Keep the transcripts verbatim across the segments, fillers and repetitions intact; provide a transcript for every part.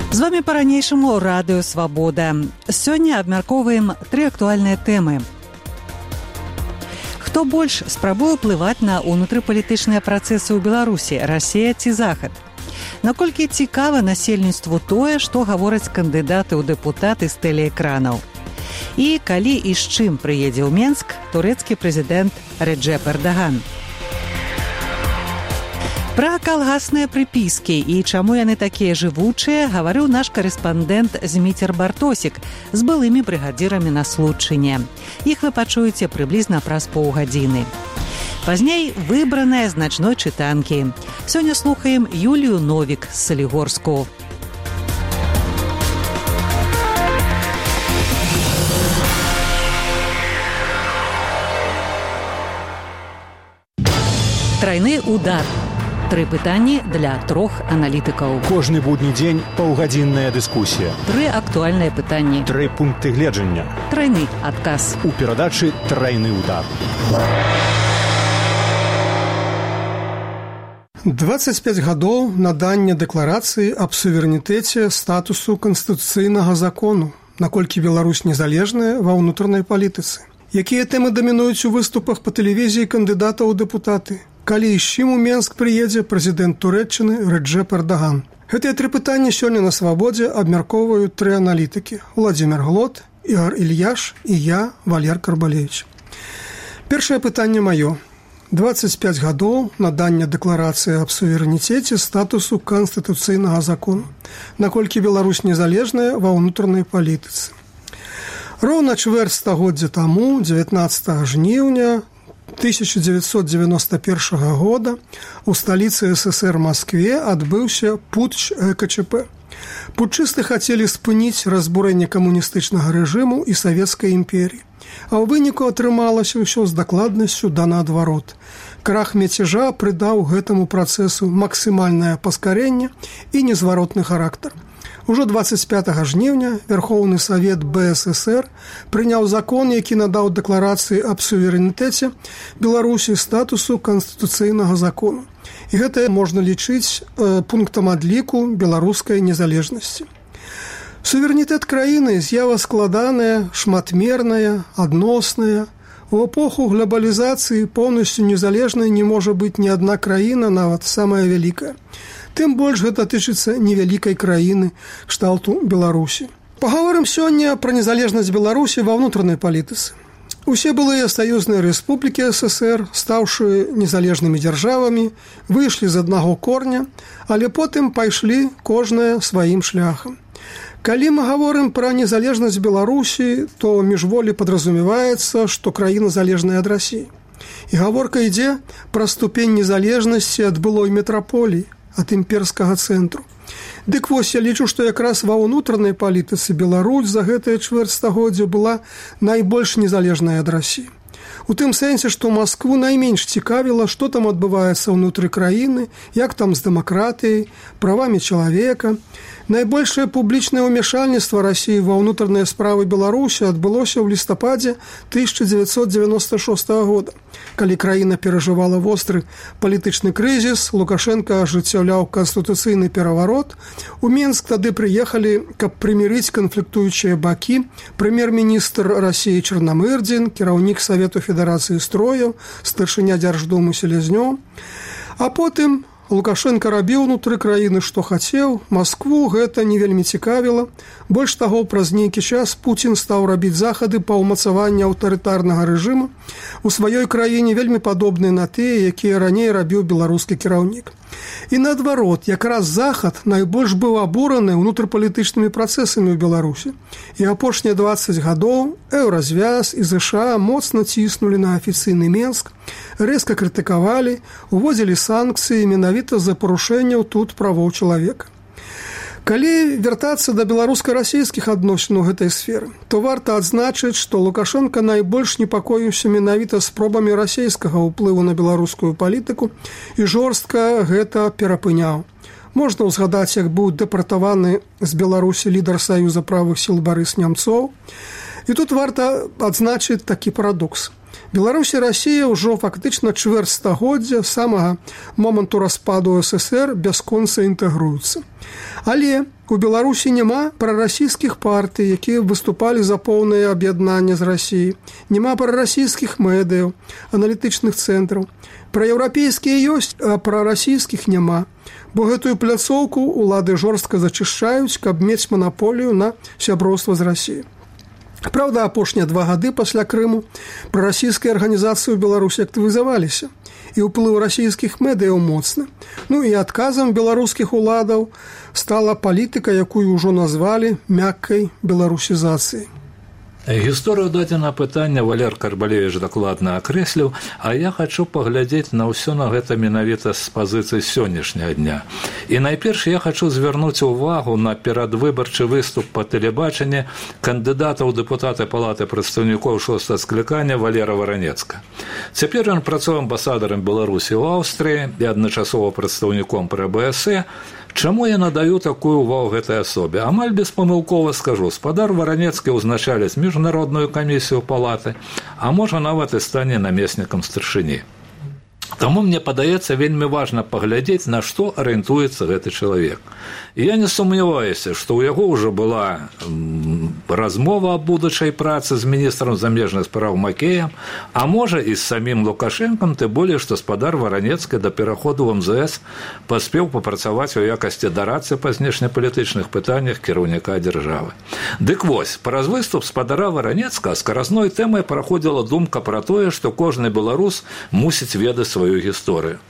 З вами па-ранейшаму радыё «Свабода». Сёння абмяркоўваем тры актуальныя тэмы. Хто больш спрабуе ўплываць на ўнутрыпалітычныя працэсы ў Беларусі, Расія ці Захад? Наколькі цікава насельніцтву тое, што гавораць кандыдаты ў дэпутаты з тэлеэкранаў? І калі і з чым прыедзе ў Менск турэцкі прэзідэнт Реджеп Эрдаган? Пра калгасныя прыпіскі і чаму яны такія жывучыя, гаварыў наш карэспандэнт Зміцер Бартосік з былымі брыгадзірамі на Случчыне. Іх вы пачуеце прыблізна праз паўгадзіны. Пазней выбраныя з начной чытанкі. Сёння слухаем Юлію Новік з Салігорску. Трайны удар. Тры пытанні для трох аналітыкаў. Кожны будні дзень паўгадзінная дыскусія. Тры актуальныя пытанні. Тры пункты гледжання. Трайны адказ. У перадачы «Трайны удар». дваццаць пяць гадоў надання дэкларацыі аб суверэнітэце статусу канстытуцыйнага закону, наколькі Беларусь незалежная ва ўнутранай палітыцы. Якія тэмы дамінуюць у выступах па тэлевізіі кандыдатаў у дэпутаты? Калі і з чым у Менск прыедзе прэзідэнт Турэччыны Реджеп Эрдаган? Гэтыя тры пытанні сёння на «Свабодзе» абмяркоўваюць тры аналітыкі: Владзімір Глот, Ігор Ільяш і я, Валер Карбалевіч. Першае пытанне маё. дваццаць пяць гадоў надання дэкларацыі аб суверэнітэце статусу канстытуцыйнага закону. Наколькі Беларусь незалежная ва ўнутранай палітыцы? Роўна чвэрць стагоддзя таму, дзевятнаццатага жніўня тысяча дзевятьсот девяносто первого года у сталіцы СССР Маскве адбыўся путч э ка чэ пэ. Путчысты хацелі спыніць разбурэнне камуністычнага рэжыму і савецкай імперіі. А ў выніку атрымалася ўсё з дакладнасцю да наадварот. Крах мяцежа прыдаў гэтаму працэсу максімальнае паскарэнне і незваротны характар. Ужо дваццаць пятага жніўня Верхоўны Савет бэ эс эс ер прыняў закон, які надаў дэкларацыі аб суверэнітэце Беларусі статусу канстытуцыйнага закону. І гэта можна лічыць э, пунктам адліку беларускай незалежнасці. Суверэнітэт краіны з'ява складаная, шматмерная, адносная. У эпоху глобалізацыі поўнасцю незалежнай не можа быць ні адна краіна, нават самая вялікая. Тым больш гэта тычыцца невялікай краіны кшталту Беларусі. Пагаворым сёння пра незалежнасць Беларусі ва ўнутранай палітыцы. Усе былыя саюзныя рэспублікі эс эс ер, стаўшы незалежнымі дзяржавамі, выйшлі з аднаго корня, але потым пайшлі кожная сваім шляхам. Калі мы гаворым пра незалежнасць Беларусі, то міжволі падразумеваецца, што краіна залежная ад Расіі. І гаворка ідзе пра ступень незалежнасці ад былой метраполіі, ад імперскага цэнтру. Дык вось, я лічу, што якраз ва ўнутранай палітыцы Беларусь за гэтае чвэрць стагоддзя была найбольш незалежная ад Расіі. У тым сэнсе, што Маскву найменш цікавіла, што там адбываецца ўнутры краіны, як там з дэмакратыяй, правамі чалавека. Найбольшае публічнае ўмяшальніцтва Расіі ва ўнутраныя справы Беларусі адбылося ў лістападзе тысяча дзевятьсот девяносто шестого года. Калі краіна перажывала востры палітычны крызіс, Лукашенко ажыццяўляў канстытуцыйны пераварот. У Менск тады прыехалі, каб прымірыць канфліктуючыя бакі, прэм'ер-міністр Расіі Чарнамырдзін, кіраўнік Савету Федэрацыі строяў, старшыня Дзярждумы Селязнёў. А потым Лукашенко рабіў унутры краіны, што хацеў. Маскву гэта не вельмі цікавіла. Больш таго, праз нейкі час Пуцін стаў рабіць захады па ўмацаванню аўтарытарнага рэжыму у сваёй краіне, вельмі падобныя на тыя, якія раней рабіў беларускі кіраўнік. І наадварот, якраз Захад найбольш быў абураны ўнутрыпалітычнымі працэсамі ў Беларусі. І апошнія дваццаць гадоў Еўразвяз і зэ ша моцна ціснулі на афіцыйны Менск, рэзка крытыкавалі, уводзілі санкцыі менавіта за парушэнняў тут правоў чалавека. Калі вяртацца да беларуска-расійскіх адносін у гэтай сферы, то варта адзначыць, што Лукашенко найбольш непакоіўся менавіта спробамі расійскага ўплыву на беларускую палітыку і жорстка гэта перапыняў. Можна ўзгадаць, як быў дэпартаваны з Беларусі лідар Саюза правых сіл Барыс Нямцоў. І тут варта адзначыць такі парадокс. Беларусь і Расія ўжо фактычна чвэрць стагоддзя самага моманту распаду ССР бясконца інтэгруюцца. Але у Беларусі няма прарасійскіх партый, якія выступалі за поўнае аб'яднанне з Расіяй. Няма прарасійскіх медыяў, аналітычных цэнтраў. Праеўрапейскія ёсць, а прарасійскіх няма. Бо гэтую пляцоўку улады жорстка зачышчаюць, каб мець манаполію на сяброўства з Расіяй. Праўда, апошнія два гады пасля Крыму прарасійскія арганізацыі ў Беларусі актывізаваліся, і ўплыў расійскіх медыяў моцны. Ну і адказам беларускіх уладаў стала палітыка, якую ўжо назвалі мяккай беларусізацыяй. Гісторыю дадзена пытання Валер Карбалевіч дакладна акрэсліў, а я хачу паглядзець на ўсё на гэта менавіта з пазіцыі сённяшняга дня. І найперш я хачу звярнуць увагу на перадвыбарчы выступ па тэлебачанні кандыдата ў дэпутаты Палаты прадстаўнікоў шостага склікання Валера Варанецка. Цяпер ён працуе амбасадарам Беларусі ў Аўстрыі і адначасова прадстаўніком пры Бэ Эс Э. Чаму я надаю такую ўвагу гэтай асобе? Амаль беспамылкова скажу, спадар Варанецкі ўзначаліць міжнародную камісію палаты, а можа нават і стане намеснікам старшыні. Таму мне падаецца вельмі важна паглядзець, на што арыентуецца гэты чалавек. І я не сумняваюся, што ў яго ўжо была размова аб будучай працы з міністрам замежных спраў Макеем, а можа і з самім Лукашэнкам, тым болей, што спадар Варанецкі да пераходу ў Эм Зэ Эс паспеў папрацаваць у якасці дарадцы па знешнепалітычных пытаннях кіраўніка дзяржавы. Дык вось, праз выступ спадара Варанецка скаразной тэмай праходзіла думка пра тое, што кожны беларус мусіць ведаць сваю гісторыю.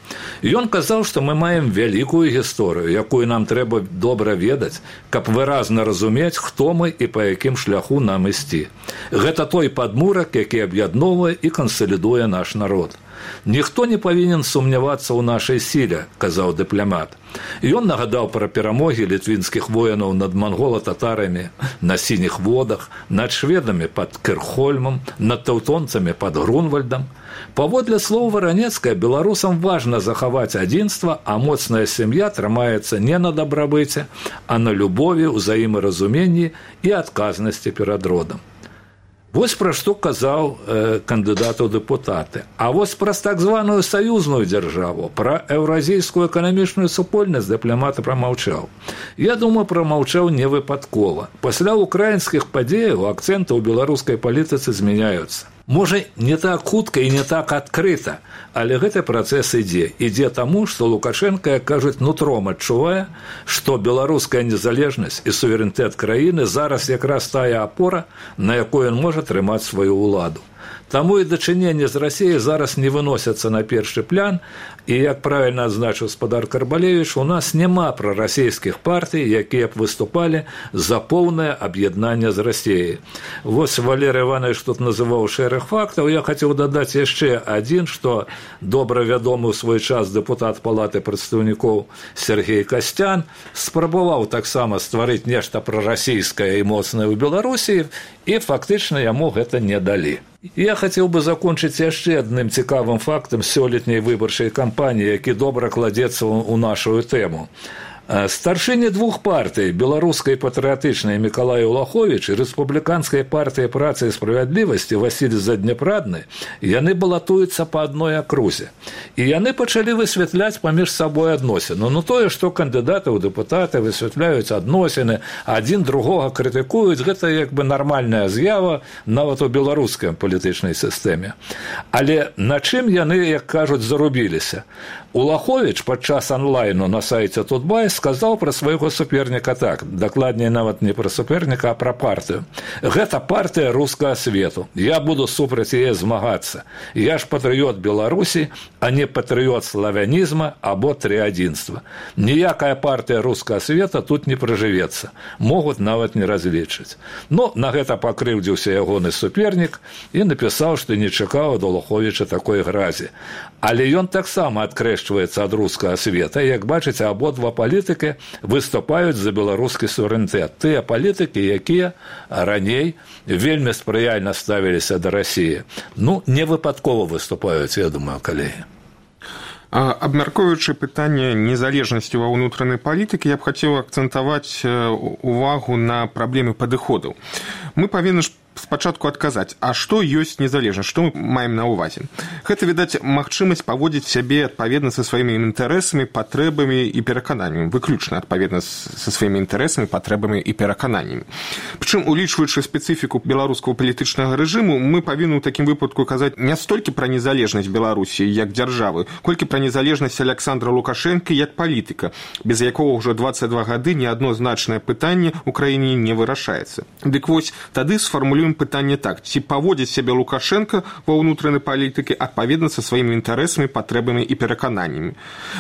Ён казаў, што мы маем вялікую гісторыю, якую нам трэба добра ведаць, каб выразна разумець, хто мы і па якім шляху нам ісці. Гэта той падмурак, які аб'ядноўвае і кансалідуе наш народ. Ніхто не павінен сумнявацца ў нашай сіле, казаў дыпламат. Ён нагадаў пра перамогі літвінскіх воінаў над мангола-татарамі на сініх водах, над шведамі пад Кірхольмам, над таўтонцамі пад Грунвальдам. Паводле слоў Варанецкая, беларусам важна захаваць адзінства, а моцная сям'я трымаецца не на дабрабыце, а на любові, узаемаразуменні і адказнасці перад родам. Вось пра што казаў э, кандыдат у дэпутаты. А вось праз так званую саюзную дзяржаву, пра еўразійскую эканамічную супольнасць дыпламат прамаўчаў. Я думаю, прамаўчаў не выпадкова. Пасля украінскіх падзеяў акцэнты ў беларускай палітыцы змяняюцца. Можа, не так хутка і не так адкрыта, але гэты працэс ідзе. Ідзе таму, што Лукашэнка, як кажуць, нутром адчувае, што беларуская незалежнасць і суверэнітэт краіны зараз якраз тая апора, на якой ён можа трымаць сваю ўладу. Таму і дачыненні з Расіяй зараз не выносяцца на першы план, і, як правільна адзначыў спадар Карбалевіч, у нас няма прарасійскіх партый, якія б выступалі за поўнае аб'яднанне з Расіяй. Вось Валер Іванович тут называў шэраг фактаў, я хацеў дадаць яшчэ адзін, што добра вядомы ў свой час дэпутат Палаты прадстаўнікоў Сергей Касцян спрабаваў таксама стварыць нешта прарасійскае і моцнае ў Беларусі, і фактычна яму гэта не далі. Я хацеў бы закончыць яшчэ адным цікавым фактам сёлетняй выбарчай кампаніі, які добра кладзецца ў нашу тэму. Старшыні двух партый, беларускай патрыятычнай Мікалай Улаховіч і рэспубліканскай партыі працы і справядлівасці Васіль Заднепрадны, яны балатуюцца па адной акрузе. І яны пачалі высвятляць паміж сабой адносіны. Ну тое, што кандыдаты ў дэпутаты высвятляюць адносіны, адзін другога крытыкуюць, гэта як бы нармальная з'ява нават у беларускай палітычнай сістэме. Але на чым яны, як кажуць, зарубіліся? Улаховіч падчас онлайну на сайце Тутбай сказаў пра свайго суперніка так, дакладней нават не пра суперніка, а пра партыю. Гэта партыя рускага свету. Я буду супраць яе змагацца. Я ж патрыёт Беларусі, а не патрыёт славянізма або трыадзінства. Ніякая партыя рускага света тут не прыжывецца. Могуць нават не разлічыць. Но на гэта пакрыўдзіўся ягоны супернік і напісаў, што не чакаў ад Улаховіча такой гразі. Але ён таксама адкрэшчваецца ад рускага света. Як бачыце, абодва палітыкі выступаюць за беларускі суверэнітэт. Тыя палітыкі, якія раней вельмі спрыяльна ставіліся да Расіі. Ну, не выпадкова выступаюць, я думаю, калегі. Абмяркоўваючы пытанне незалежнасці ва ўнутранай палітыкі, я б хацеў акцэнтаваць увагу на праблемы падыходаў. Мы павінны ж спачатку адказаць, а што ёсць незалежнасць, што мы маем на ўвазе. Гэта, відаць, магчымасць паводзіць сябе адпаведна са сваімі інтарэсамі, патрэбамі і перакананнямі, выключна адпаведна са сваімі інтарэсамі, патрэбамі і перакананнямі. Прычым, улічваючы спецыфіку беларускага палітычнага рэжыму, мы павінны ў такім выпадку казаць не столькі пра незалежнасць Беларусі як дзяржавы, колькі пра незалежнасць Александра Лукашэнка як палітыка, без якога ўжо дваццаць два гады ні адно значнае пытанне ў краіне не вырашаецца. Дык вось, тады сфармулюем пытанне так, ці паводзіць сябе Лукашенко ва ўнутранай палітыкі адпаведна са сваімі інтарэсамі, патрэбамі і перакананнямі.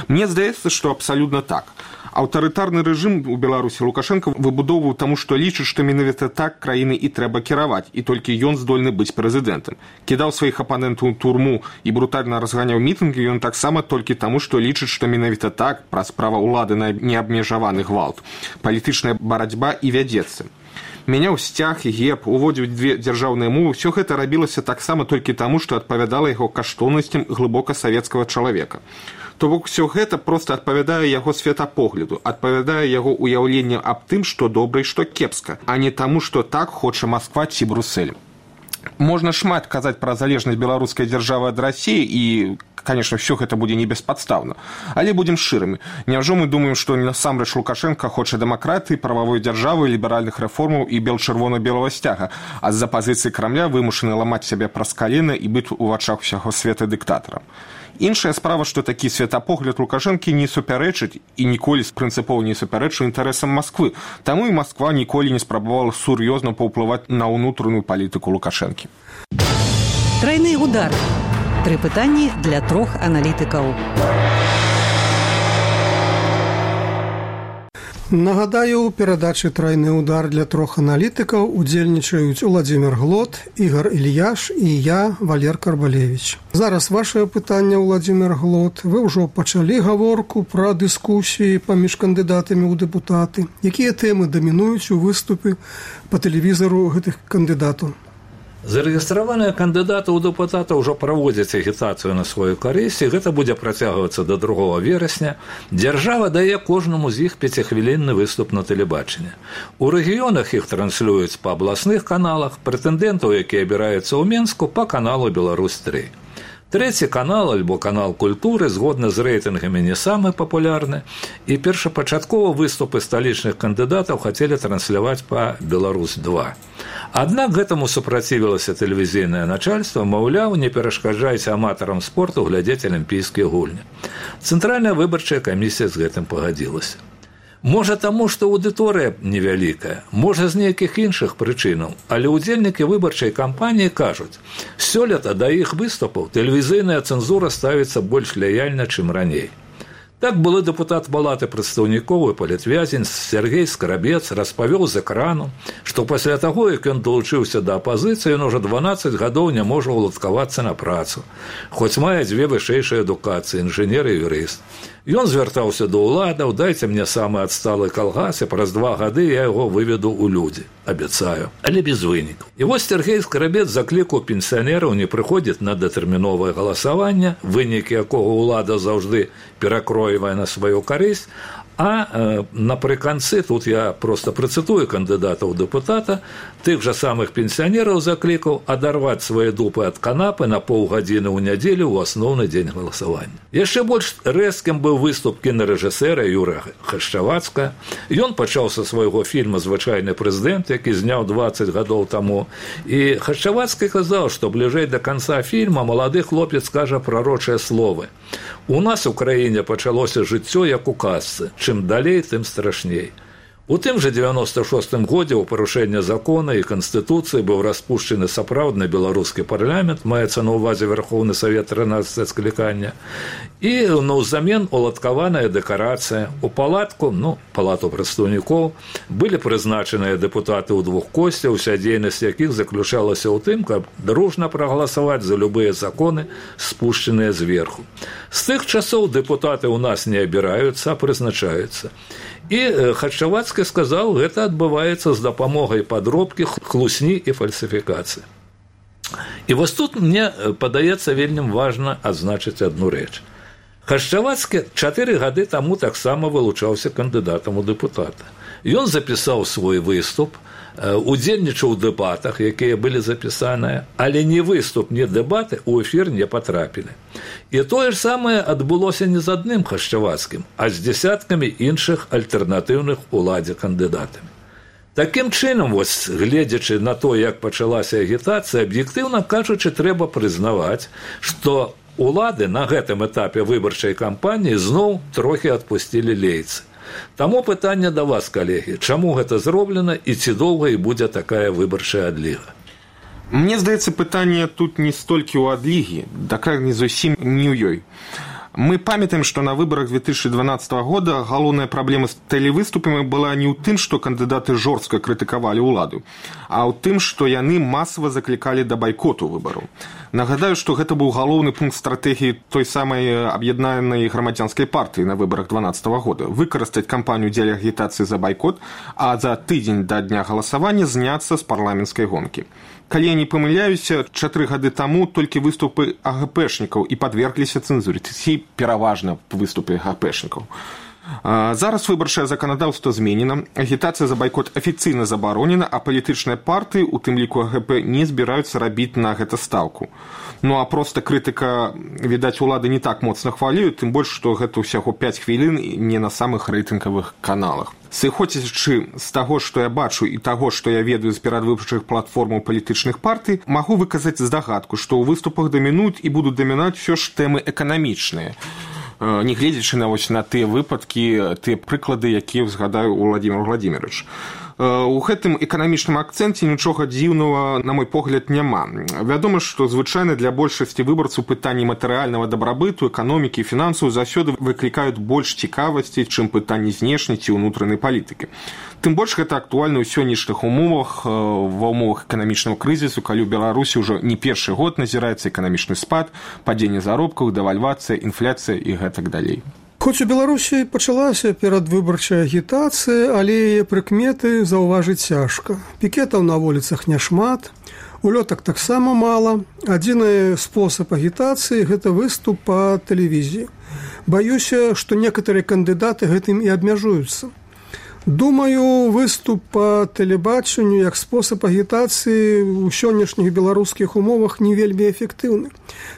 Мне здаецца, што абсалютна так. Аўтарытарны рэжым у Беларусі Лукашенко выбудоўваў таму, што лічыць, што менавіта так краіны і трэба кіраваць, і толькі ён здольны быць прэзідэнтам. Кідаў сваіх апанентаў у турму і брутальна разганяў мітынгі ён таксама толькі таму, што лічыць, што менавіта так праз права ўлады на неабмежаваны гвалт. Палітычная барацьба і вядзецца. Мяняў сцяг і герб, уводзіў дзве дзяржаўныя мовы, ўсё гэта рабілася таксама толькі таму, што адпавядала яго каштоўнасцям глыбока савецкага чалавека. То бок усё гэта проста адпавядае яго светапогляду, адпавядае яго ўяўленню аб тым, што добра і што кепска, а не таму, што так хоча Масква ці Брусэль. Можна шмат казаць пра залежнасць беларускай дзяржавы ад Расіі і, конечно, все гэта будзе не беспадстаўна. Але будзем шчырымі. Няўжо мы думаем, што насамрэч Лукашенко хоча дэмакратыі, прававой дзяржавы, ліберальных рэформаў і бел-чырвона-белага сцяга, а з-за пазіцыі Крамля вымушаны ламаць сябе праз калена і быць у вачах усяго света дыктатарам. Іншая справа, што такі светапогляд Лукашэнкі не супярэчыць і ніколі прынцыпова не супярэчыў інтарэсам Масквы. Таму і Масква ніколі не спрабавала сур'ёзна паўплываць на ўнутраную палітыку Лукашэнкі. Трайны удар. Тры пытанні для трох аналітыкаў. Нагадаю, у перадачы «Трайны удар» для трох аналітыкаў удзельнічаюць Уладзімір Глот, Ігор Ільяш і я, Валер Карбалевіч. Зараз вашае пытанне, Уладзімір Глот. Вы ўжо пачалі гаворку пра дыскусіі паміж кандыдатамі ў дэпутаты. Якія тэмы дамінуюць у выступе па тэлевізару гэтых кандыдатаў? Зарэгістраваныя кандыдаты ў дэпутата ўжо праводзяць агітацыю на сваю карысць, і гэта будзе працягвацца да другога верасня. Дзяржава дае кожнаму з іх пяцихвілінны выступ на тэлебачанні. У рэгіёнах іх транслююць па абласных каналах, прэтэндэнтаў, якія абіраюцца ў Менску, па каналу «Беларусь тры». Трэці канал, альбо канал культуры, згодна з рэйтынгамі не самы папулярны, і першапачаткова выступы сталічных кандыдатаў хацелі трансляваць па «Беларусь два». Аднак гэтаму супрацівілася тэлевізійнае начальства, маўляў, не перашкаджайце аматарам спорту глядзець алімпійскія гульні. Цэнтральная выбарчая камісія з гэтым пагадзілася. Можа таму, што аўдыторыя невялікая, можа з нейкіх іншых прычынаў, але ўдзельнікі выбарчай кампаніі кажуць, сёлета да іх выступаў тэлевізійная цэнзура ставіцца больш лаяльна, чым раней. Так былы дэпутат палаты прадстаўнікоў і палітвязень Сергей Скарабец распавёў з экрану, што пасля таго, як ён далучыўся да апазіцыі, ён ужо дванаццаць гадоў не можа ўладкавацца на працу, хоць мае дзве вышэйшыя адукацыі, інжынер і юрыст. Ён звяртаўся да ўладаў, дайце мне самы адсталы калгас, і праз два гады я яго выведу ў людзі, абяцаю, але без вынікаў. І вось Сергей Скарабец заклікаў пенсіянераў не прыходзіць на датэрміновае галасаванне, вынікі якога ўлада заўжды перакроівае на сваю карысць, а э, напрыканцы, тут я проста працытую кандыдатаў дэпутата, тых жа самых пенсіянераў заклікаў адарваць свае дупы ад канапы на паўгадзіны ў нядзелю ў асноўны дзень галасавання. Яшчэ больш рэзкім быў выступ кінарэжысэра Юрыя Хашчавацкага. Ён пачаў са свайго фільма «Звычайны прэзідэнт», які зняў дваццаць гадоў таму. І Хашчавацкі казаў, што бліжэй да канца фільма малады хлопец скажа прарочыя словы. У нас у краіне пачалося жыццё як у казцы. Чым далей, тым страшней. У тым жа девяносто шостым годзе ў парушэнне закона і канстытуцыі быў распушчаны сапраўдны беларускі парламент, маецца на ўвазе Верхоўны Савет трынаццатае склікання, і наўзамен уладкаваная дэкарацыя. У палатку, ну, палату прадстаўнікоў, былі прызначаныя дэпутаты ў двух косцях, уся дзейнасць якіх заключалася ў тым, каб дружна прагаласаваць за любыя законы, спушчаныя зверху. З тых часоў дэпутаты ў нас не абіраюцца, а прызначаюцца. І Хачавацкі сказаў, гэта адбываецца з дапамогай падробкі, хлусні і фальсіфікацыі. І вось тут мне падаецца вельмі важна адзначыць адну рэч. Хачавацкі чатыры гады таму таксама вылучаўся кандыдатам у дэпутата. Ён запісаў свой выступ, удзельнічаў у дэбатах, якія былі запісаныя, але ні выступ, ні дэбаты ў эфір не патрапілі. І тое ж самае адбылося не з адным Хашчавацкім, а з дзясяткамі іншых альтэрнатыўных уладзе кандыдатамі. Такім чынам, вось, гледзячы на то, як пачалася агітацыя, аб'ектыўна кажучы, трэба прызнаваць, што улады на гэтым этапе выбарчай кампаніі зноў трохі адпусцілі лейцы. Таму пытанне да вас, калегі, чаму гэта зроблена і ці доўга і будзе такая выбарчая адліга? Мне здаецца, пытанне тут не столькі ў адлігі, так не зусім не ў ёй. Мы памятаем, што на выбарах две тысячи дванадцатого года галоўная праблема з тэлевыступамі была не ў тым, што кандыдаты жорстка крытыкавалі ўладу, а ў тым, што яны масава заклікалі да байкоту выбараў. Нагадаю, што гэта быў галоўны пункт стратэгіі той самай аб'яднанай грамадзянскай партыі на выбарах дванадцатого года – выкарыстаць кампанію дзеля агітацыі за байкот, а за тыдзень да дня галасавання зняцца з парламенцкай гонкі. Калі я не памыляюся, чатыры гады таму толькі выступы АГПшнікаў і падвергліся цэнзуры, ці пераважна выступы АГПшнікаў. Зараз выбарчае заканадаўства зменена, агітацыя за байкот афіцыйна забаронена, а палітычныя партыі, у тым ліку АГП, не збіраюцца рабіць на гэта стаўку. Ну а проста крытыка, відаць, улады не так моцна хвалююць, тым больш, што гэта ўсяго пяць хвілін не на самых рэйтынгавых каналах. Сыходзячы з таго, што я бачу і таго, што я ведаю з перадвыбарчых платформаў палітычных партый, магу выказаць здагадку, што ў выступах дамінуюць і будуць дамінаць усё ж тэмы эканамічныя. Не гледзячы на, на тыя выпадкі, тыя прыклады, якія згадаю Владимир Владимирович. У гэтым эканамічным акцэнце нічога дзіўнага, на мой погляд, няма. Вядома, што звычайна для большасці выбарцаў пытанні матэрыяльнага дабрабыту, эканомікі і фінансаў заўсёды выклікаюць больш цікавасці, чым пытанні знешняй ці ўнутранай палітыкі. Тым больш гэта актуальна ў сённяшніх умовах, ва ўмовах эканамічнага крызісу, калі ў Беларусі ўжо не першы год назіраецца эканамічны спад, падзенне заробкаў, дэвальвацыя, інфляцыя і гэтак далей. Хоць у Беларусі пачалася перадвыбарчая агітацыя, але яе прыкметы заўважыць цяжка. Пікетаў на вуліцах няшмат, улётак таксама мала. Адзіны спосаб агітацыі – гэта выступ па тэлевізіі. Баюся, што некаторыя кандыдаты гэтым і абмяжуюцца. Думаю, выступ па тэлебачанню як спосаб агітацыі ў сённяшніх беларускіх умовах не вельмі эфектыўны.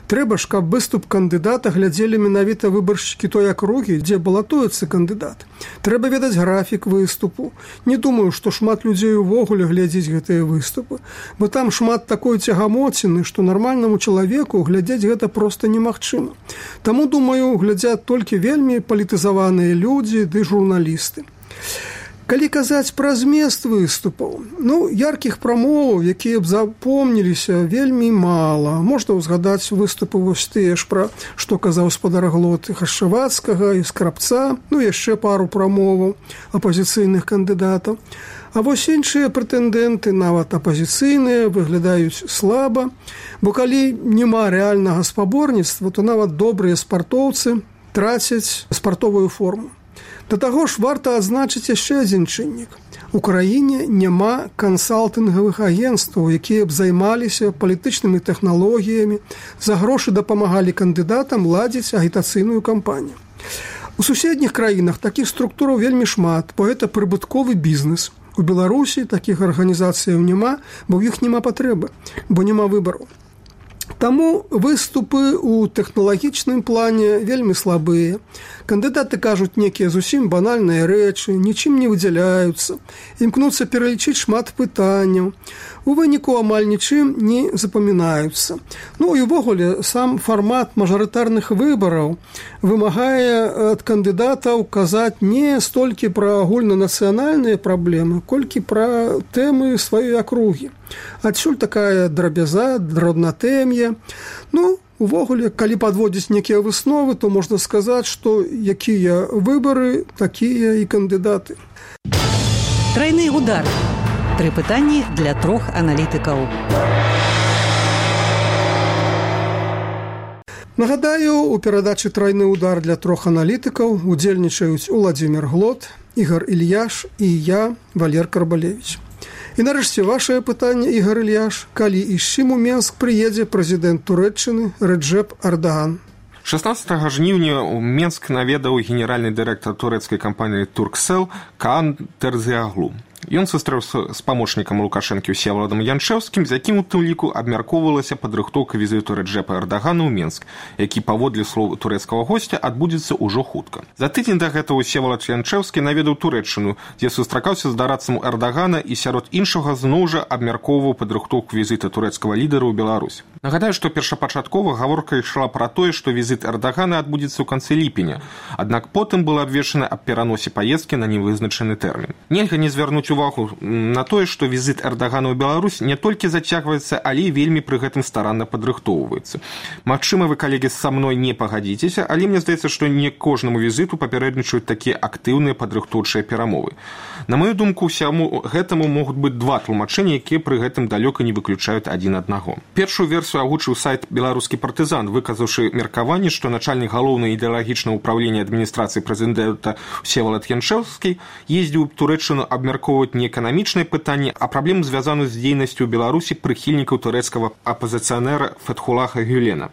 Трэба ж, каб выступ кандыдата глядзелі менавіта выбаршчыкі той акругі, дзе балатуецца кандыдат. Трэба ведаць графік выступу. Не думаю, што шмат людзей увогуле глядзіць гэтыя выступы, бо там шмат такой цягамоціны, што нармальнаму чалавеку глядзець гэта проста немагчыма. Таму, думаю, глядзяць толькі вельмі палітызаваныя людзі ды журналісты. Калі казаць пра змест выступаў, ну, яркіх прамоваў, якія б запомніліся, вельмі мала. Можна ўзгадаць выступы вось тыя ж пра, што казаў спадар Глот Хашчавацкага і Скрабца, ну, яшчэ пару прамоваў апазіцыйных кандыдатаў. А вось іншыя прэтэндэнты, нават апазіцыйныя, выглядаюць слаба, бо калі няма рэальнага спаборніцтва, то нават добрыя спартоўцы трацяць спартовую форму. Да таго ж варта адзначыць яшчэ адзін чыннік. У краіне няма кансалтынгавых агенцтваў, якія б займаліся палітычнымі тэхналогіямі, за грошы дапамагалі кандыдатам ладзіць агітацыйную кампанію. У суседніх краінах такіх структураў вельмі шмат, бо гэта прыбытковы бізнес. У Беларусі такіх арганізацыяў няма, бо ў іх няма патрэбы, бо няма выбараў. Таму выступы ў тэхналагічным плане вельмі слабыя. Кандыдаты кажуць некія зусім банальныя рэчы, нічым не выдзяляюцца, імкнуцца пералічыць шмат пытанняў. У выніку амаль нічым не запамінаюцца. Ну і ўвогуле сам фармат мажарытарных выбараў вымагае ад кандыдатаў казаць не столькі пра агульнанацыянальныя праблемы, колькі пра тэмы сваёй акругі. Адсюль такая драбяза, драбнатэм'я. Ну, увогуле, калі падводзіць некія высновы, то можна сказаць, што якія выбары, такія і кандыдаты. Трайны удар. Тры пытанні для трох аналітыкаў. Нагадаю, у перадачы «Трайны удар» для трох аналітыкаў удзельнічаюць Владимир Глот, Ігор Ільяш і я, Валер Карбалевич. І нарэшце вашае пытанне, Ігор Ільяш, калі і з чым у Менск прыедзе прэзідэнт Турэччыны Рэджэп Эрдаган? шаснаццатага жніўня ў Менск наведаў генеральны дырэктар турэцкай кампаніі «Турксел» Каан Терзиаглу. Ён сустрэўся з памочнікам Лукашэнкі Всеваладам Яншэўскім, з якім у тым ліку абмяркоўвалася падрыхтоўка візіту Рэджэпа Эрдагана ў Менск, які, паводле слоў турэцкага госця, адбудзецца ўжо хутка. За тыдзень да гэтага Всевалад Яншэўскі наведаў Турэччыну, дзе сустракаўся з дарадцам Эрдагана і сярод іншага зноў жа абмяркоўваў падрыхтоўку візіта турэцкага лідара ў Беларусь. Нагадаю, што першапачаткова гаворка ішла пра тое, што візіт Эрдагана адбудзецца ў канцы ліпеня, аднак потым было абвешчана аб пераносе паездкі на невызначаны тэрмін. Нельга не звярнуць увагу на тое, што візіт Эрдагана ў Беларусь не толькі зацягваецца, але і вельмі пры гэтым старанна падрыхтоўваецца. Магчыма, вы, калегі, са мной не пагадзіцеся, але мне здаецца, што не кожнаму візіту папярэднічаюць такія актыўныя падрыхтоўчыя перамовы. На маю думку, ўсяму гэтаму могуць быць два тлумачэння, якія пры гэтым далёка не выключаюць адзін аднаго. Першую версію агучыў сайт «Беларускі партызан», выказаўшы меркаванне, што начальнік галоўнай ідэалагічнага ўправлення адміністрацыі прэзідэнта Всевалад Яншэўскі ездзіў у Турэччыну абмяркоўваць не эканамічнае пытанне, а праблему, звязаную з дзейнасцю ў Беларусі прыхільнікаў турэцкага апазіцыянера Фетхулаха Гюлена.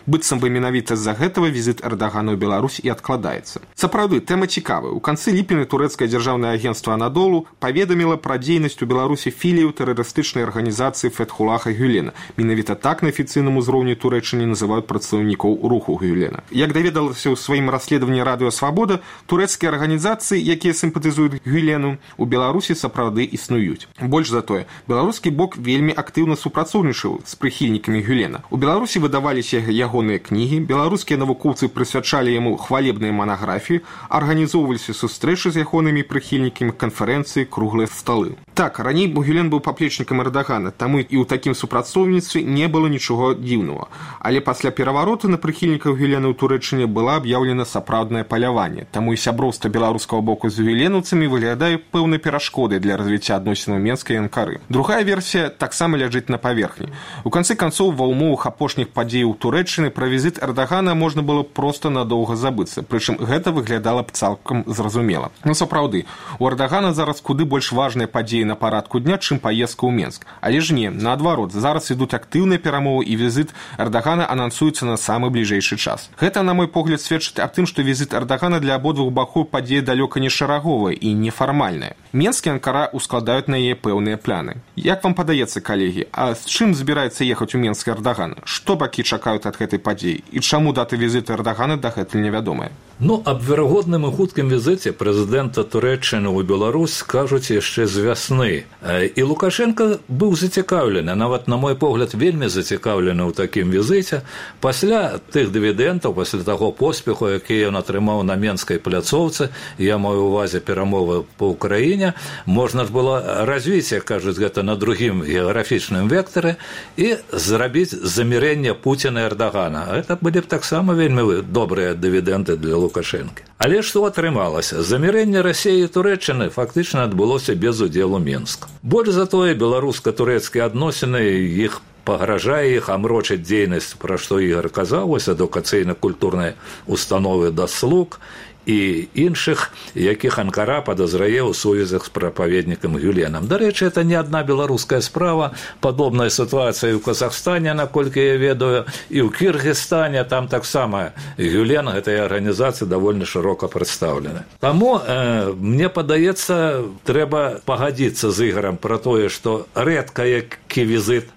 Быццам бы менавіта з-за гэтага візіт Эрдагана ў Беларусь і адкладаецца. Сапраўды, тэма цікавая. У канцы ліпеня турэцкае дзяржаўнае агенцтва «Анадолу» паведаміла пра дзейнасць у Беларусі філію тэрарыстычнай арганізацыі Фетхулаха Гюлена. Менавіта так на афіцыйным узроўні Турэччыны называюць прадстаўнікоў руху Гюлена. Як даведалася ў сваім расследаванні «Радыё Свабода», турэцкія арганізацыі, якія сімпатызуюць Гюлену, у Беларусі сапраўды існуюць. Больш за тое, беларускі бок вельмі актыўна супрацоўнічаў з прыхільнікамі Гюлена. У Беларусі выдаваліся яго кнігі, беларускія навукоўцы прысвячалі яму хвалебныя манаграфіі, арганізоўваліся сустрэчы з ягонымі прыхільнікамі, канферэнцыі, круглыя сталы. Так, раней Гюлен быў паплечнікам Эрдагана, таму і ў такім супрацоўніцтве не было нічога дзіўнага. Але пасля перавароту на прыхільнікаў Гюлена ў Турэччыне была аб'яўлена сапраўднае паляванне, таму і сяброўства беларускага боку з гюленаўцамі выглядае пэўнай перашкодай для развіцця адносінаў Менска і Анкары. Другая версія таксама ляжыць на паверхні. У канцы канцоў, ва ўмовах апошніх падзеяў Турэччыны пра візіт Эрдагана можна было проста надоўга забыцца, прычым гэта выглядала б цалкам зразумела. Ну, сапраўды, у Эрдагана зараз куды больш важныя падзеі на парадку дня, чым паездка ў Менск. Але ж не, наадварот, зараз ідуць актыўныя перамовы і візіт Эрдагана анансуецца на самы бліжэйшы час. Гэта, на мой погляд, сведчыць аб тым, што візіт Эрдагана для абодвух бакоў падзея далёка не шараговая і нефармальная. Менск і Анкара ускладаюць на яе пэўныя пляны. Як вам падаецца, калегі, а з чым збіраецца ехаць у Менск Эрдаган? Што бакі чакаюць ад гэтай падзеі? І чаму дата візіту Эрдагана дагэтуль невядомая? Ну, аб верагодным і хуткім візіце прэзідэнта Турэччыны ў Беларусь кажуць яшчэ з вясны. І Лукашенко быў зацікаўлены, нават, на мой погляд, вельмі зацікаўлены ў такім візіце. Пасля тых дывідэнтаў, пасля таго поспеху, які ён атрымаў на Менскай пляцоўцы, я маю ўвазе перамовы па ўкраіне, можна ж было развіць, як кажуць, гэта на другім геаграфічным вектары і зрабіць замірэнне Пуціна і Эрдагана. Гэта былі б таксама вельмі добрыя дывідэнты для Лукашэнкі. Але што атрымалася? Замірэнне Расіі і Турэччыны фактычна адбылося без удзелу Менска. Больш за тое, беларуска-турэцкія адносіны іх пагражае іх амрочыць дзейнасць, пра што Ігор казаў, вось адукацыйна-культурнай установы «Даслуг» і іншых, якіх Анкара падазрае ў сувязях з прапаведнікам Гюленам. Дарэчы, это не адна беларуская справа, падобная сітуацыя ў Казахстане, наколькі я ведаю, і ў Кіргізстане, там таксама Гюлен гэтай арганізацыі даволі шырока прадстаўлены. Таму э, мне падаецца, трэба пагадзіцца з Ігорам пра тое, што рэдка які візіт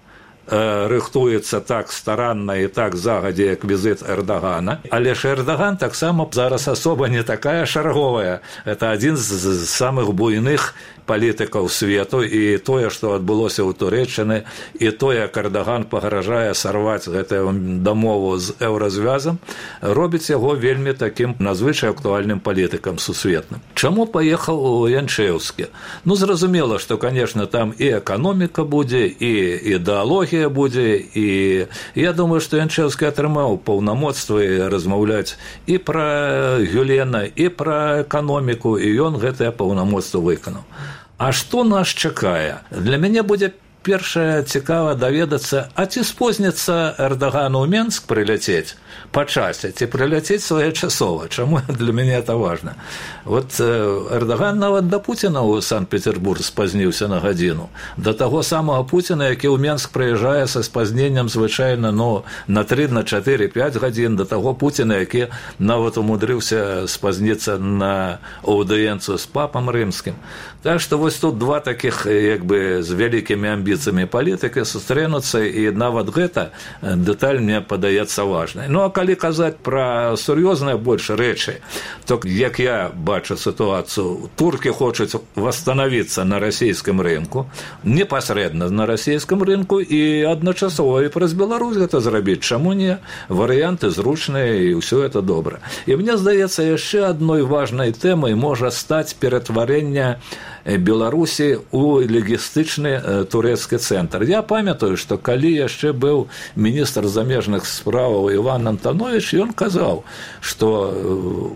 рыхтуецца так старанна і так загадзя, як візіт Эрдагана. Але ж Эрдаган таксама зараз асоба не такая шарговая. Это адзін з самых буйных палітыкаў свету, і тое, што адбылося ў Турэччыны, і тое, як Эрдаган пагражае сарваць гэтую дамову з еўразвязам, робіць яго вельмі такім надзвычай актуальным палітыкам сусветным. Чаму паехаў у Яншэўскі? Ну, зразумела, што, конечно, там і эканоміка будзе, і ідэалогія будзе, і я думаю, што Яншэўскі атрымаў паўнамоцтва размаўляць і пра Гюлена, і пра эканоміку, і ён гэтае паўнамоцтва выканаў. А што нас чакае? Для мяне будзе першае цікава даведацца, а ці спозніцца Эрдагану ў Менск прыляцець па часе, ці прыляцець своечасова. Чаму для мяне это важна? Вот Эрдаган нават да Пуціна ў Санкт-Петербург спазніўся на гадзіну. Да таго самага Пуціна, які ў Менск прыязджае са спазненнем звычайна ну, на тры, на чатыры, пяць гадзін, да таго Пуціна, які нават умудрыўся спазніцца на аўдыенцыю з папам рымскім. Так што вось тут два такіх як бы з вялікімі амбіцыямі палітыкі сустрэнуцца, і нават гэта дэталь мне падаецца важнай. Ну а калі казаць пра сур'ёзныя больш рэчы, то як я бачу сітуацыю, туркі хочуць восстановіцца на расійскім рынку, непасрэдна на расійскім рынку, і адначасова і праз Беларусь гэта зрабіць. Чаму не? Варыянты зручныя, і ўсё это добра. І мне здаецца, яшчэ адной важнай тэмай можа стаць ператварэнне Беларусі ў лагістычны турэцкі цэнтр. Я памятаю, што калі яшчэ быў міністр замежных справаў Іван Антонович, ён казаў, што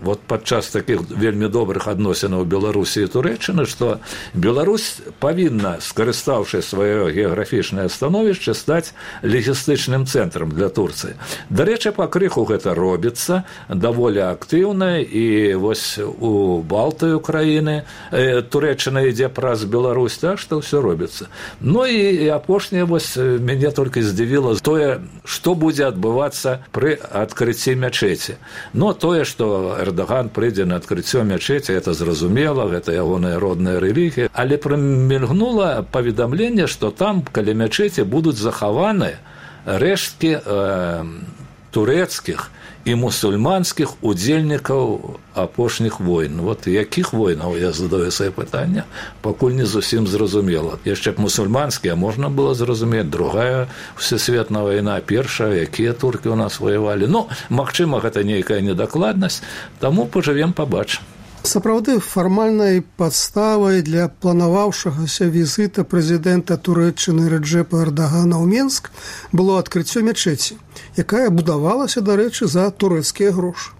вот падчас такіх вельмі добрых адносінаў Беларусі і Турэччыны, што Беларусь павінна, скарыстаўшы сваё геаграфічнае становішча, стаць лагістычным цэнтрам для Турцыі. Дарэчы, пакрыху гэта робіцца даволі актыўна, і вось у Балтыю краіны Турэччына ідзе праз Беларусь, так што ўсё робіцца. Ну і, і апошняе вось мяне толькі здзівіла тое, што будзе адбывацца пры адкрыцці мячэці. Ну тое, што Эрдаган прыйдзе на адкрыццё мячэці, это зразумела, гэта ягоная родная рэлігія, але прамільгнула паведамленне, што там каля мячэці будуць захаваны рэшткі э, турэцкіх і мусульманскіх удзельнікаў апошніх войн. Вот якіх войнаў, я задаю свае пытання, пакуль не зусім зразумела. Яшчэ б мусульманскія можна было зразумець, другая всесветная вайна, першая, якія туркі ў нас воевалі. Ну, магчыма, гэта нейкая недакладнасць, таму пажывем, пабачым. Сапраўды, фармальнай падставай для планаваўшагася візіта прэзідэнта Турэччыны Рэджэпа Эрдагана ў Менск было адкрыццё мячэці, якая будавалася, дарэчы, за турэцкія грошы.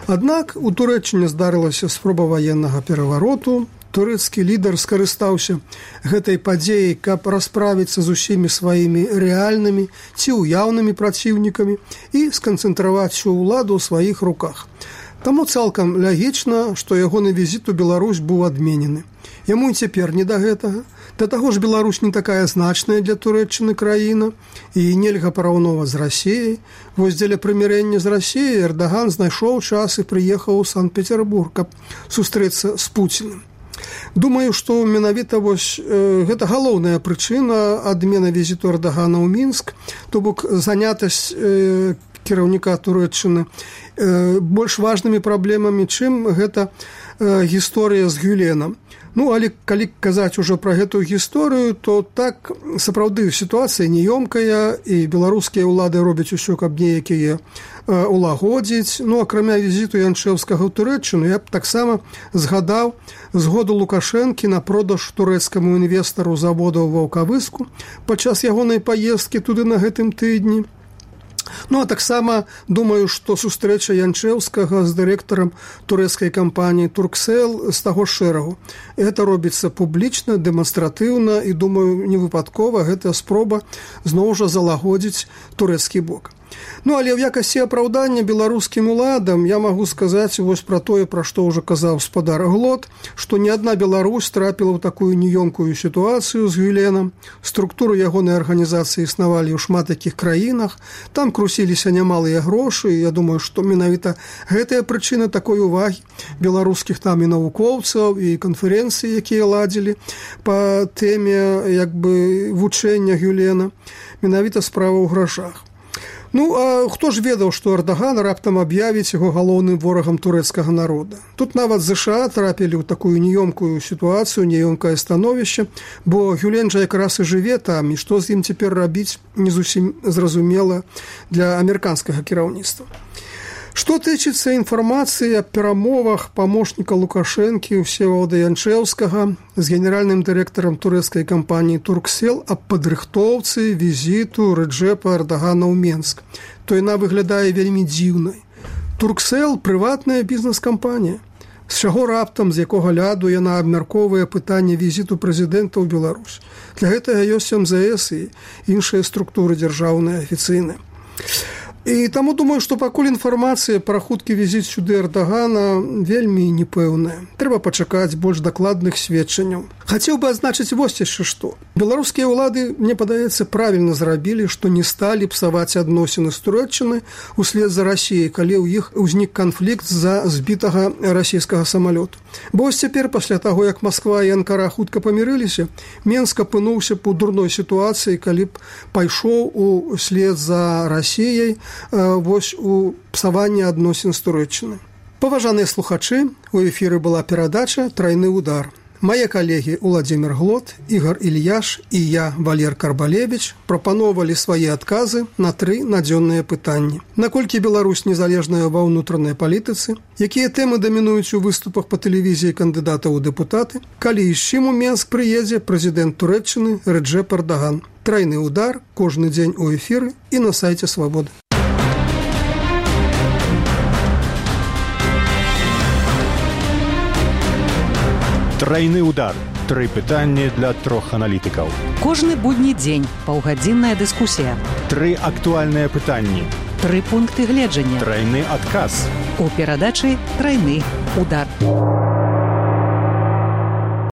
Аднак у Турэччыне здарылася спроба ваеннага перавароту. Турэцкі лідар скарыстаўся гэтай падзеяй, каб расправіцца з усімі сваімі рэальнымі ці ўяўнымі праціўнікамі і сканцэнтраваць усю ўладу ў сваіх руках. Таму цалкам лагічна, што ягоны візіт у Беларусь быў адменены. Яму і цяпер не да гэтага. Да таго ж Беларусь не такая значная для Турэччыны краіна, і нельга параўноўваць з Расіяй. Вось дзеля прымірэння з Расіяй Эрдаган знайшоў час і прыехаў у Санкт-Петербург, каб сустрэцца з Пуціным. Думаю, што менавіта вось э, гэта галоўная прычына адмены візіту Эрдагана ў Мінск, то бок занятасць э, кіраўніка Турэччыны э, больш важнымі праблемамі, чым гэта э, гісторыя з Гюленам. Ну, але калі казаць ужо пра гэтую гісторыю, то так, сапраўды, сітуацыя неёмкая, і беларускія ўлады робяць усё, каб неякія э, улагодзіць. Ну, акрамя візіту Янчэўскага ў Турэччыну, я б таксама згадаў згоду Лукашэнкі на продаж турэцкаму інвестару завода ў Ваўкавыску падчас ягонай паездкі туды на гэтым тыдні. Ну, а таксама думаю, што сустрэча Янчэўскага з дырэктарам турэцкай кампаніі «Турксел» з таго шэрагу. Гэта робіцца публічна, дэманстратыўна, і, думаю, невыпадкова гэтая спроба зноў жа залагодзіць турэцкі бок. Ну, але ў якасці апраўдання беларускім уладам я магу сказаць вось пра тое, пра што ўжо казаў спадар Глот, што ні адна Беларусь трапіла ў такую неёмкую сітуацыю з Гюленам. Структуры ягонай арганізацыі існавалі ў шмат якіх краінах, там крусіліся нямалыя грошы, і я думаю, што менавіта гэтая прычына такой увагі беларускіх там і навукоўцаў, і канферэнцыі, якія ладзілі па тэме як бы вучэння Гюлена, менавіта справа ў грашах. Ну, а хто ж ведаў, што Эрдаган раптам аб'явіць яго галоўным ворагам турэцкага народа? Тут нават ЗША трапілі ў такую неёмкую сітуацыю, неёмкае становішча, бо Гюлен жа якраз і жыве там, і што з ім цяпер рабіць, не зусім зразумела для амерыканскага кіраўніцтва. Што тычыцца інфармацыі аб перамовах памочніка Лукашэнкі Всеволода Янчэўскага з генеральным дырэктарам турэцкай кампаніі «Турксел» аб падрыхтоўцы візіту Рэджэпа Эрдагана ў Менск, то яна выглядае вельмі дзіўнай. «Турксел» – прыватная бізнес-кампанія. З чаго раптам, з якога ляду яна абмяркоўвае пытанне візіту прэзідэнта ў Беларусь. Для гэтага ёсць эм зэ эс і іншыя структуры дзяржаўныя афіцыйныя. І таму думаю, што пакуль інфармацыя пра хуткі візіт сюды Эрдагана вельмі непэўная. Трэба пачакаць больш дакладных сведчанняў. Хацеў бы адзначыць вось яшчэ што. Беларускія ўлады, мне падаецца, правільна зрабілі, што не сталі псаваць адносіны з Турэччыны услед за Расіяй, калі ў іх узнік канфлікт з-за збітага расійскага самалёту. Бо ось цяпер, пасля таго, як Масква і Анкара хутка памірыліся, Менск апынуўся б у дурной сітуацыі, калі б пайшоў услед за Расіяй вось у псаванне адносін з Турэччыны. Паважаныя слухачы, у эфіры была перадача «Трайны удар». Мае калегі Уладзімір Глот, Ігор Ільяш і я, Валер Карбалевіч, прапаноўвалі свае адказы на тры надзённыя пытанні. Наколькі Беларусь незалежная ва ўнутранай палітыцы, якія тэмы дамінуюць у выступах па тэлевізіі кандыдатаў у дэпутаты, калі і з чым у Менск прыедзе прэзідэнт Турэччыны Рэджэп Эрдаган. Трайны удар кожны дзень у эфіры і на сайце Свабоды. Трайны удар. Тры пытанні для трох аналітыкаў. Кожны будні дзень паўгадзінная дыскусія. Тры актуальныя пытанні. Тры пункты гледжання. Трайны адказ. У перадачы «Трайны удар».